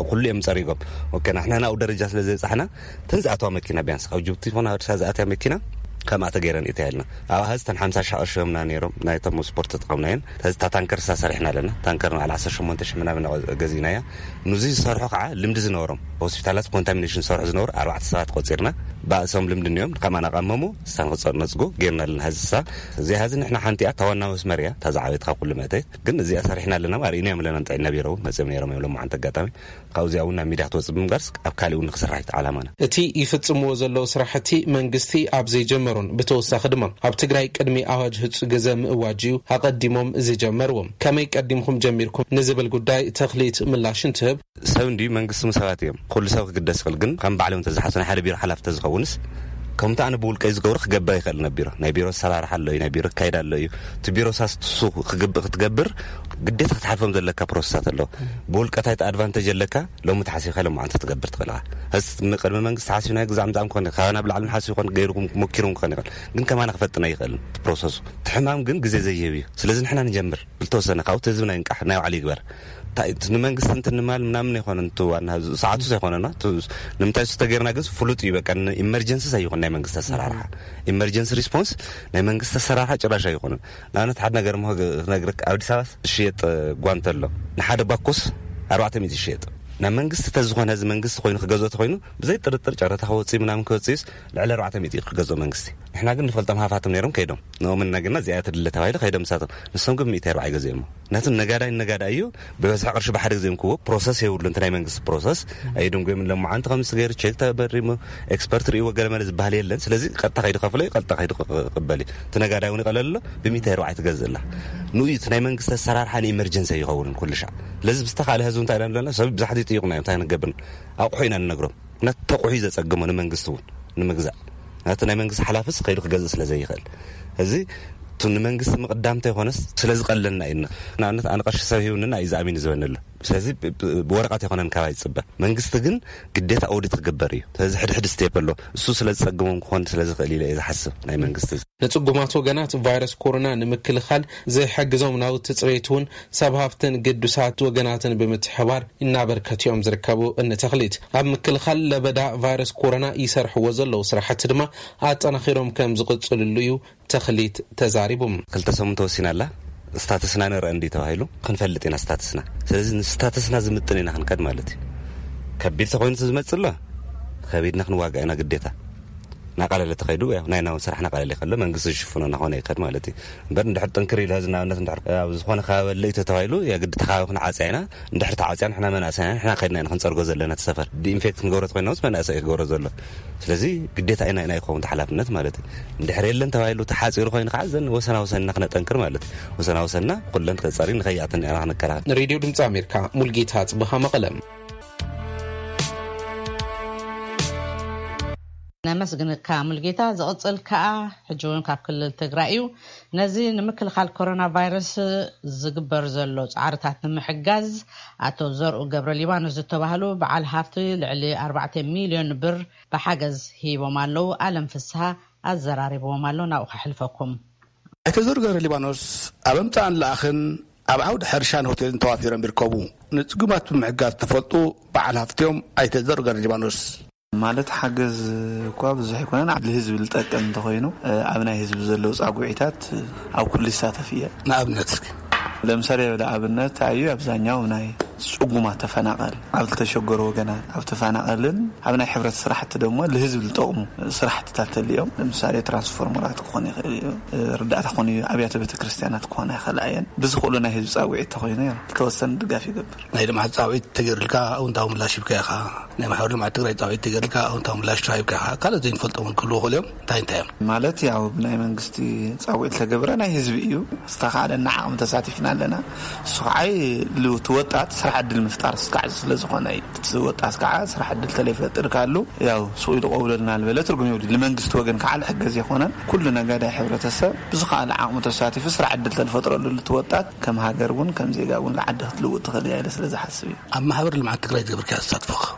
ኩሉ እዮም ጸሪጎም። ኦኬ፣ ንሕና ናብኡ ደረጃ ስለ ዘይበጻሕና እተን ዝኣተዋ መኪና ቢያንስ ካብ ጅቡቲ ይኹን ኣዲስ ኣበባ ዝኣተያ መኪና ከምኣ ተገይረን እታ ኢልና ኣብ ሀዝ ተን ሓምሳ ሺሕ ቅርሺ ዮምና ነይሮም ናይቶም ስፖርት ተጠቐምናየን። ሀዝ እታ ታንከር ሳ ሰሪሕና ኣለና። ታንከር ንዓል ዓሰርተ ሸሞንተ ሺሕ ምናምን ገዚእናያ። ንዚ ዝሰርሑ ከዓ ልምዲ ዝነበሮም ሆስፒታላት ኮንታሚኔሽን ዝሰርሑ ዝነበሩ ኣርባዕተ ሰባት ቆፂርና ብኣእሶም ልምዲ እኒኦም ከማና ቀመሙ ሳን ክፀር ነፅጉ ገይርና ኣለና። ሀዚ ሳ እዚኣ ሀዚ ንሕና ሓንቲኣ ታዋና መስመር እያ። ታዛ ዓቤት ካብ ኩሉ መእተይ ግን እዚኣ ሰሪሕና ኣለና። ኣርእና እዮም ኣለና ጥዕና ቢሮ እውን መፅኦም ነይሮም እዮም። ሎማዓንቲ ኣጋጣሚ ካብዚኣ እውን ናብ ሚድያ ክትወፅእ ብምጋርስ ኣብ ካሊእ እውን ንክስራሕ እዩ ዓላማና። እቲ ይፍጽምዎ ዘለዉ ስራሕቲ መንግስቲ ኣብ ዘይጀመሮን ብተወሳኺ ድማ ኣብ ትግራይ ቅድሚ ኣዋጅ ህጹ ግዘ ምእዋጅ እዩ ኣቐዲሞም ዝጀመርዎም። ከመይ ቀዲምኩም ጀሚርኩም ንዝብል ጉዳይ ተኽሊት ምላሽ እንትህብ፣ ሰብ እንድዩ መንግስቲ ምስ ሰባት እዮም። ኩሉ ሰብ ክግደስ ይኽእል፣ ግን ከም ባዕሎም ተዝሓሱ ናይ ሓደ ቢሮ ሓላፊ ተዝኸውንስ ከምቲ ኣነ ብውልቀይ ዝገብሮ ክገብር ይኽእል ነቢሮ። ናይ ቢሮ ኣሰራርሓ ኣሎ እዩ፣ ናይ ቢሮ ኣካይዳ ኣሎ እዩ። እቲ ቢሮ ሳስትሱ ክትገብር ግዴታ ክትሓልፎም ዘለካ ፕሮሰሳት ኣለዉ። ብውልቀታይ ኣድቫንቴጅ ኣለካ ሎሚ ተሓሲብካ ሎማዓንቲ ክትገብር ትኽእል ኢኻ። ሕዚ ቅድሚ መንግስቲ ሓሲብና ግዛዕ ምዛም ክኾን ካብ ናብ ላዕሊ ሓሲብ ክኾን ገይርኩም ሞኪርኩም ክኾን ይኽእል፣ ግን ከማና ክፈጥና ይኽእል ፕሮሰሱ። እቲ ሕማም ግን ግዜ ዘይህብ እዩ። ስለዚ ንሕና ንጀምር ብልተወሰነ ካብኡ ህዝብና ይንቃሕ ናይ ባዕሉ ይግበር። እንታይ እቲ ንመንግስቲ እንትንማል ምናምን ኣይኮነን። እቲ ዋና ህዝቢ ሰዓቱ ዘይኮነና ንምንታይ ሱ ተገይርና ግን ፍሉጥ እዩ። በቃ ኢመርጀንሲ ኣይኮን ናይ መንግስቲ ኣሰራርሓ ኢመርጀንሲ ሪስፖንስ ናይ መንግስቲ ኣሰራርሓ ጭራሽ ኣይኮነን። ንኣብነት ሓደ ነገር ሞ ክነግረካ፣ ኣብ ኣዲስ ኣበባ ዝሽየጥ ጓንተ ኣሎ። ንሓደ ባኮስ ኣርባዕተ ሚእቲ ይሽየጥ። ናብ መንግስቲ ተዝኾነ፣ እዚ መንግስቲ ኮይኑ ክገዝኦ ተኮይኑ ብዘይ ጥርጥር ጨረታ ክወፅእ ምናምን ክወፅእስ ልዕሊ ኣርባዕተ ሚእቲ ክገዝኦ መንግስቲ። ንሕና ግን ንፈልጦም ሃፋትም ነይሮም ከይዶም ንኦም እናገና እዚኣ ትድለ ተባሂሉ ከይዶም ንሳቶም። ንሶም ግን ሚእቲ ኣርባዓ ይገዝኦሞ። ነቲ ነጋዳይ ነጋዳይ እዩ። ብበዝሒ ቅርሺ ብሓደ ግዜ ክዎ ፕሮሰስ የብሉ። እንተ ናይ መንግስቲ ፕሮሰስ ኣይድንጎም። ለማዓንቲ ከምዚ ገይሩ ቼክ ተበሪሙ ኤክስፐርት ርእይዎ ገለ መለ ዝበሃል የለን። ስለዚ ቀጥታ ከይዱ ከፍሎ እዩ፣ ቀጥታ ከይዱ ክቕበል እዩ። እቲ ነጋዳይ እውን ይቐለል ኣሎ። ብሚእቲ ኣርባዓ ትገዝእ ኣላ። ንኡ እቲ ናይ መንግስቲ ኣሰራርሓ ንኢመርጀንሲ ኣይኸውንን ኩሉ ሻዕ። ስለዚ ብዝተኻለ ህዝቢ እንታይ ኢና ንብለና፣ ሰብ ብዛሕቲ ይጥይቑና እዮም። እንታይ ንገብር? ኣቑሑ ኢና ንነግሮም። ነቲ ተቑሑ ዘጸግሞ ንመንግስቲ እውን ንምግዛእ። ነቲ ናይ መንግስቲ ሓላፍስ ከይዱ ክገዝእ ስለ ዘይኽእል። እዚ እቲ ንመንግስቲ ምቕዳም እንተይኮነስ ስለ ዝቐለልና እዩ። ንኣብነት ኣነ ቅርሺ ሰብ ሂቡኒ እዩ ዝኣሚን ዝበኒ ኣሎ። ስለዚ ብ-፣ ብ-፣ ብወረቐት ኣይኮነን ካባይ ዝጽበ። መንግስቲ ግን ግዴታ ኦዲት ክግበር እዩ። ስለዚ ሕድሕድ ስቴፕ ኣሎ። እሱ ስለ ዝጸግሞም ክኾን ስለ ዝኽእል ኢለ እየ ዝሓስብ ናይ መንግስቲ። ንጽጉማት ወገናት ቫይረስ ኮሮና ንምክልኻል ዝሕግዞም ናውቲ ጽሬት እውን ሰብ ሃፍትን ግዱሳት ወገናትን ብምትሕባር እናበርከቱ እዮም ዝርከቡ። እኒ ተኽሊት ኣብ ምክልኻል ለበዳ ቫይረስ ኮሮና ይሰርሕዎ ዘለዉ ስራሕቲ ድማ ኣጠናኺሮም ከም ዝቕጽልሉ እዩ ተኽሊት ተዛሪቡ። ክልተ ሰሙን ተወሲና ኣላ። ስታተስና ንርአ እንዲ ተባሂሉ ክንፈልጥ ኢና ስታተስና። ስለዚ ንስታተስና ዝምጥን ኢና ክንከድ ማለት እዩ። ከቢድ ተኮይኑ ዝመጽእ ኣሎ፣ ከቢድና ክንዋጋእ ኢና ግዴታ። ናቃለለ ተኸይዱ፣ ያው ናይ ናውን ስራሕ ናቃለለ ከሎ መንግስቲ ዝሽፍኖ እናኾነ ይኸድ ማለት እዩ። እምበር እንድሕር ጥንክር ኢሉ ህዝቢ ንኣብነት እንድሕር ኣብ ዝኾነ ከባቢ ኣሎ እዩ ተተባሂሉ፣ የግዲ ተኻባቢ ክንዓጽያ ኢና። እንድሕር ተዓጽያ ንሕና መናእሰይ ኢና፣ ንሕና ከይድና ኢና ክንጸርጎ ዘለና እቲ ሰፈር። ዲኢንፌክት ክንገብሮ ተኮይና ምስ መናእሰይ ክገብሮ ዘሎ። ስለዚ ግዴታ ኢና፣ ኢና ይኸውን እቲ ሓላፍነት ማለት እዩ። እንድሕር የለን ተባሂሉ ተሓጺሩ ኮይኑ ከዓ ዘን ወሰና ወሰንና ክነጠንክር ማለት እዩ። ወሰና ወሰንና ኩለን ተጸሪ ንኸይኣትን ኢና ክንከላኸል። ንሬድዮ ድምፂ ኣሜሪካ ሙልጌታ ጽብሃ መቐለ። ነመስግንካ ሙልጌታ። ዝቕጽል ከኣ ሕጂ እውን ካብ ክልል ትግራይ እዩ። ነዚ ንምክልኻል ኮሮና ቫይረስ ዝግበር ዘሎ ጻዕርታት ንምሕጋዝ ኣቶ ዘርኡ ገብረ ሊባኖስ ዝተባህሉ በዓል ሃፍቲ ልዕሊ ኣርባዕተ ሚልዮን ብር ብሓገዝ ሂቦም ኣለዉ። ኣለም ፍስሃ ኣዘራሪብዎም ኣሎ። ናብኡ ከሕልፈኩም። ኣይተ ዘርኡ ገብረ ሊባኖስ ኣብ ኣምጻእን ለኣኽን ኣብ ዓውዲ ሕርሻን ሆቴልን ተዋፊሮም ይርከቡ። ንጽጉማት ብምሕጋዝ ተፈልጡ በዓል ሃፍቲ እዮም ኣይተ ዘርኡ ገብረ ሊባኖስ። ማለት ሓገዝ እኳ ብዙሕ ኣይኮነን፣ ንህዝቢ ዝጠቅም እንተኾይኑ፣ ኣብ ናይ ህዝቢ ዘለዉ ጻጉዒታት ኣብ ኩሉ ይሳተፍ እየ። ንኣብነት እስኪ። ለምሳሌ ወደ ኣብነት ኣዩ ኣብዛኛው ናይ ጽጉማት ተፈናቐል፣ ኣብ ዝተሸገሩ ወገናት፣ ኣብ ተፈናቐልን ኣብ ናይ ሕብረት ስራሕቲ ደሞ ንህዝቢ ዝጠቕሙ ስራሕትታት ተልዮም፣ ለምሳሌ ትራንስፎርመራት ክኾን ይኽእል እዩ፣ ርዳእታ ክኾን እዩ፣ ኣብያተ ቤተክርስትያናት ክኾና ይኽእላ እየን። ብዝኽእሉ ናይ ህዝቢ ጻውዒት ተኾይኑ እዮም ዝተወሰነ ድጋፍ ይገብር። ናይ ልምዓት ጻውዒት ተገይሩልካ ኣውንታዊ ምላሽ ሂብካ ኢኻ። ናይ ማሕበር ልምዓት ትግራይ ጻውዒት ተገይሩልካ ኣውንታዊ ምላሽ ሂብካ ኢኻ። ካልኦት ዘይንፈልጦም እውን ክህልዉ ይኽእሉ እዮም። እንታይ እንታይ እዮም? ማለት ያው ብናይ መንግስቲ ጻውዒት ተገብረ ናይ ህዝቢ እዩ። ዝተኻለና ዓቕሚ ተሳቲፍና ኣለና። እሱ ኸዓይ ልውቲ ወጣት ስራሕ ዕድል ምፍጣር ስካዕ ስለ ዝኾነ እዩ። እቲ ወጣት ከዓ ስራሕ ዕድል ተለይፈጥር ካሉ ያው ሱቕ ኢሉ ቀውለልና ዝበለ ትርጉም የብሉ። ንመንግስቲ ወገን ከዓ ልሕገዝ የኾነን። ኩሉ ነጋዳይ ሕብረተሰብ ብዝኸኣለ ዓቕሙ ተሳቲፉ ስራሕ ዕድል ተልፈጥረሉ ልቲ ወጣት ከም ሃገር እውን ከም ዜጋ እውን ልዓዲ ክትልውጥ ትኽእል እያ ኢለ ስለ ዝሓስብ እዩ። ኣብ ማሕበር ልምዓት ትግራይ ዝገብርካ ተሳትፎ?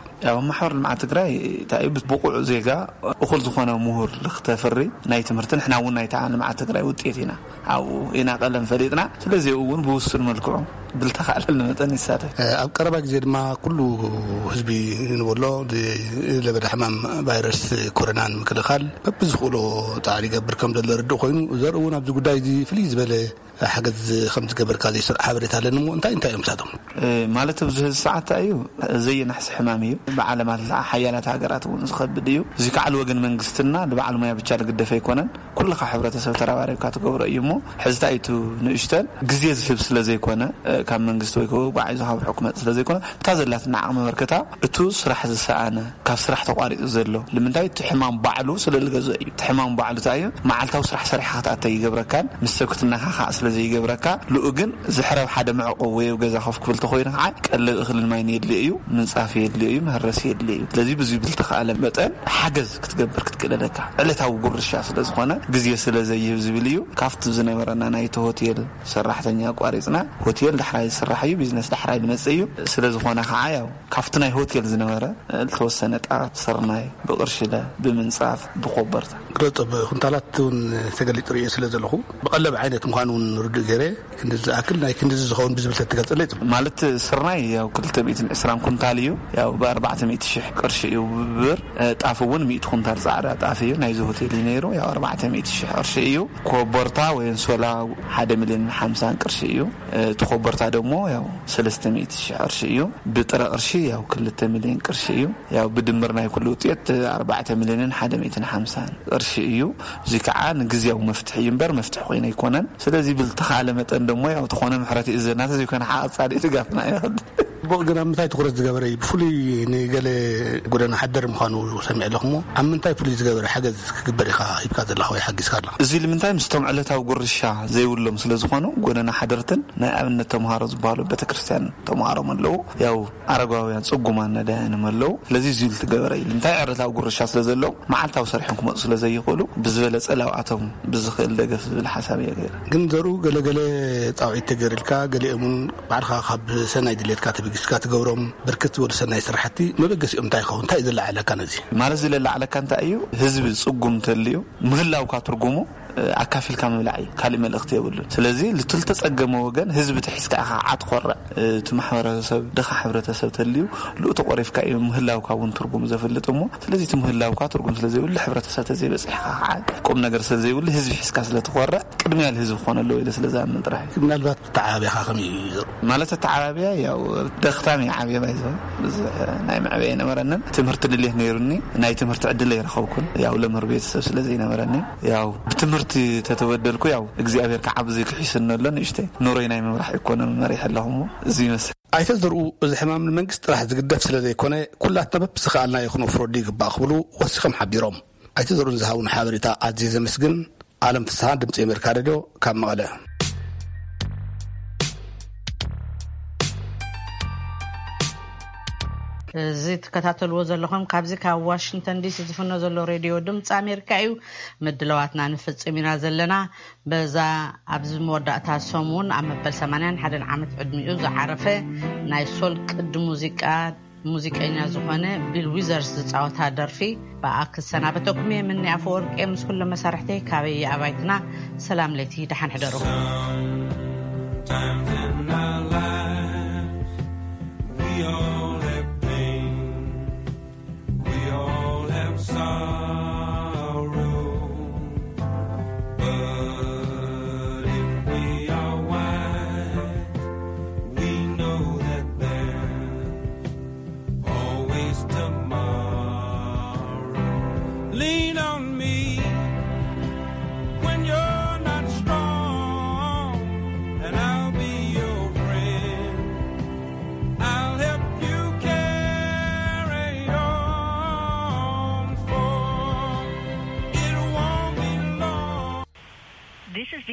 ያው ማሕበር ልምዓት ትግራይ እንታይ እዩ፣ ብቑዕ ዜጋ እኹል ዝኾነ ምሁር ልክተፍሪ ናይ ትምህርቲ፣ ንሕና እውን ናይታ ልምዓት ትግራይ ውጤት ኢና። ኣብኡ ኢና ቀለም ፈሊጥና። ስለዚ እውን ብውሱን መልክዑ ብልተኻእለኒ መጠን ይሳተፍ። ኣብ ቀረባ ግዜ ድማ ኩሉ ህዝቢ ንበሎ ለበዳ ሕማም ቫይረስ ኮሮና ንምክልኻል በብዝኽእሎ ጻዕሪ ይገብር ከም ዘሎ ርድእ ኮይኑ፣ ዘርኢ እውን ኣብዚ ጉዳይ እዚ ፍልይ ዝበለ ሓገዝ ከም ዝገበርካ ዘይስርዕ ሓበሬታ ኣለኒ እሞ እንታይ እንታይ እዮም ንሳቶም? ማለት ኣብዚ ሕዚ ሰዓት እዩ፣ ዘየናሕሲ ሕማም እዩ። ብዓለም ኣላ ሓያላት ሃገራት እውን ዝኸብድ እዩ። እዚ ከዓ ልወገን መንግስትና ልበዓል ሙያ ብቻ ልግደፍ ኣይኮነን። ኩልኻ ሕብረተሰብ ተረባሪብካ ትገብሮ እዩ እሞ ሕዝታ እዩ ንእሽተን ግዜ ዝህብ ስለ ዘይኮነ፣ ካብ መንግስቲ ወይ ከዓ ጓዒዞ ካብ ሕኩመት ስለ ዘይኮነ፣ እታ ዘላትና ዓቕሚ መበርከታ እቱ ስራሕ ዝሰኣነ፣ ካብ ስራሕ ተቋሪጹ ዘሎ ንምንታይ? እቲ ሕማም ባዕሉ ስለ ዝገዝኦ እዩ። እቲ ሕማም ባዕሉ እንታይ እዩ? መዓልታዊ ስራሕ ሰሪሕካ ክትኣተ ይገብረካን ምስ ሰብ ክትነኻኻእ ስለ ዘይገብረካ፣ ልኡ ግን ዝሕረብ ሓደ መዕቆብ ወይ ኣብ ገዛ ኮፍ ክብል ተኾይኑ ከዓ ቀለብ እኽልን ማይን የድልዮ እዩ፣ ምንጻፍ የድልዮ እዩ፣ መህረሲ የድልዮ እዩ። ስለዚ ብዙ ብልተኻእለ መጠን ሓገዝ ክትገብር ክትክእል ኣለካ። ዕለታዊ ጉርሻ ስለ ዝኾነ ግዜ ስለ ዘይህብ ዝብል እዩ። ካብቲ ዝነበረና ናይቲ ሆቴል ሰራሕተኛ ኣቋሪጽና፣ ሆቴል ዳሕራይ ዝስራሕ እዩ፣ ቢዝነስ ዳሕራይ ዝመጽእ እዩ። ስለ ዝኾነ ከዓ ያው ካብቲ ናይ ሆቴል ዝነበረ ዝተወሰነ ጣፍ፣ ስርናይ፣ ብቕርሽለ፣ ብምንጻፍ፣ ብኮበርታ። ግረጦ ብኩንታላት እውን ተገሊጹ ርእየ ስለ ዘለኹ፣ ብቐለብ ዓይነት ምዃኑ እውን ርዱእ ገይረ፣ ክንድዚ ዝኣክል ናይ ክንድዚ ዝኸውን ብዝብል ተትገልጸለይ ጽቡቕ። ማለት ስርናይ ያው ክልተ ሚእትን ዕስራን ኩንታል እዩ፣ ያው ብኣርባዕተ ሚእቲ ሽሕ ቅርሺ እዩ ብብር። ጣፍ እውን ሚእቲ ኩንታል ጻዕዳ ጣፍ እዩ፣ ናይዚ ሆቴል እዩ ነይሩ፣ ያው ኣርባዕተ ሚእቲ ሽሕ ቅርሺ እዩ። ኮበርታ ወይ እንሶላ ሓደ ሚልዮን ሓምሳን ቅርሺ እዩ። እቲ ኮበርታ ደግሞ ያው ሰለስተ ሚእቲ ሽሕ ቅርሺ እዩ። ብጥረ ቅርሺ ያው ክልተ ሚልዮን ቅርሺ እዩ። ያው ብድምር ናይ ኩሉ ውጤት ኣርባዕተ ሚልዮንን ሓደ ሚእትን ሓምሳን ቅርሺ እዩ። እዚ ከዓ ንግዝያዊ መፍትሒ እዩ እምበር መፍትሒ ኮይኑ ኣይኮነን። ስለዚ ብልተኻለ መጠን ደሞ ያው ተኾነ ምሕረት ይእዘና፣ ተዘይኮነ ሓቕ ጻድቅ ድጋፍና ይኸድ። ጽቡቕ፣ ግን ኣብ ምንታይ ትኹረት ዝገበረ እዩ? ብፍሉይ ንገለ ጎደና ሓደር ምዃኑ ሰሚዐ ኣለኹ እሞ፣ ኣብ ምንታይ ፍሉይ ዝገበረ ሓገዝ ክግበር ኢኻ ሂብካ ዘለኻ ወይ ሓጊዝካ ኣለኻ? እዚ ልምንታይ ምስቶም ዕለታዊ ጉርሻ ዘይብሎም ስለ ዝኾኑ፣ ጎደና ሓደርትን ናይ ኣብነት ተምሃሮ ዝበሃሉ ቤተክርስትያን ተምሃሮም ኣለዉ። ያው ኣረጋውያን ጽጉማን ነዳያንም ኣለዉ። ስለዚ እዚ ዝገበረ እዩ። እንታይ ዕለታዊ ጉርሻ ስለ ዘለዎም መዓልታዊ ሰሪሖም ክመጹ ስለ ዘይኽእሉ ብዝበለጸ ላብኣቶም ብዝኽእል ደገፍ ዝብል ሓሳብ እየ ገይረ። ግን ዘርኡ ገለገለ ጻውዒት ተገይርልካ፣ ገሊኦም እውን ባዕልኻ ካብ ሰናይ ድሌትካ ተበጊስካ ትገብሮም ብርክት ዝበሉ ሰናይ ስራሕቲ መበገሲኦም እንታይ ይኸውን? እንታይ እዩ ዘለዓዕለካ ነዚ? ማለት እዚ ለላዕለካ እንታይ እዩ? ህዝቢ ጽጉም እንተልዩ ምህላውካ ትርጉሙ ኣካፊልካ ምብላዕ እዩ፣ ካልእ መልእኽቲ የብሉን። ስለዚ ልትልተጸገመ ወገን ህዝቢ ተሒዝካ ኢኻ ዓት ኮርዕ፣ እቲ ማሕበረሰብ ድኻ ሕብረተሰብ ተልዩ ልኡ ተቆሪፍካ እዩ ምህላውካ እውን ትርጉም ዘፍልጥ እሞ፣ ስለዚ እቲ ምህላውካ ትርጉም ስለ ዘይብሉ፣ ሕብረተሰብ ተዘይበጺሕካ ከዓ ቁም ነገር ስለ ዘይብሉ፣ ህዝቢ ሒዝካ ስለ ትኾርዕ ቅድሚያ ልህዝቢ ክኾነ ኣለዎ ኢለ ስለ ዝኣምን ጥራሕ እዩ። ምናልባት ኣተዓባብያኻ ከመይ እዩ ዘርኡ? ማለት ኣተዓባብያ ያው ደኽታም እዩ ዓብየ ባይዘ፣ ብዙሕ ናይ መዕበየ ኣይነበረንን። ትምህርቲ ድሌት ነይሩኒ፣ ናይ ትምህርቲ ዕድል ኣይረኸብኩን። ያው ለምህር ቤተሰብ ስለ ዘይነበረኒ ያው ብትምህርቲ ተተበደልኩ ያው እግዚኣብሔር ከዓ ብዙይ ክሒስኒ ኣሎ። ንእሽተይ ኑሮይ ናይ ምምራሕ ኢኮኖሚ መሪሕ ኣለኹ እሞ እዚ ይመስል። ኣይተ ዘርኡ፣ እዚ ሕማም ንመንግስቲ ጥራሕ ዝግደፍ ስለ ዘይኮነ ኩላትና በብዝኸኣልናዮ ክነፍረዱ ይግባእ ክብሉ ወሲኾም ሓቢሮም። ኣይተ ዘርኡ ንዝሃቡና ሓበሬታ ኣዝየ ዘመስግን። ኣለም ፍስሃ፣ ድምፂ ኣሜሪካ ሬድዮ ካብ መቐለ። እዚ ትከታተልዎ ዘለኹም ካብዚ ካብ ዋሽንግተን ዲሲ ዝፍኖ ዘሎ ሬድዮ ድምፂ ኣሜሪካ እዩ። ምድላዋትና ንፍጽም ኢና ዘለና። በዛ ኣብዚ መወዳእታ ሰሙን ኣብ መበል ሰማንያን ሓደን ዓመት ዕድሚኡ ዝዓረፈ ናይ ሶል ቅዲ ሙዚቃ ሙዚቀኛ ዝኾነ ቢል ዊዘርስ ዝጻወታ ደርፊ ብኣ ክሰናበተኩም እየ። ምኒ ኣፈወርቂ ምስ ኩሉ መሳርሕተይ ካበይ ኣባይትና ሰላም ለይቲ፣ ደሓን ሕደሩ። Sometimes in our lives, we all have pain, we all have sorrow. But if we are wise, we know that there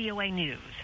VOA News.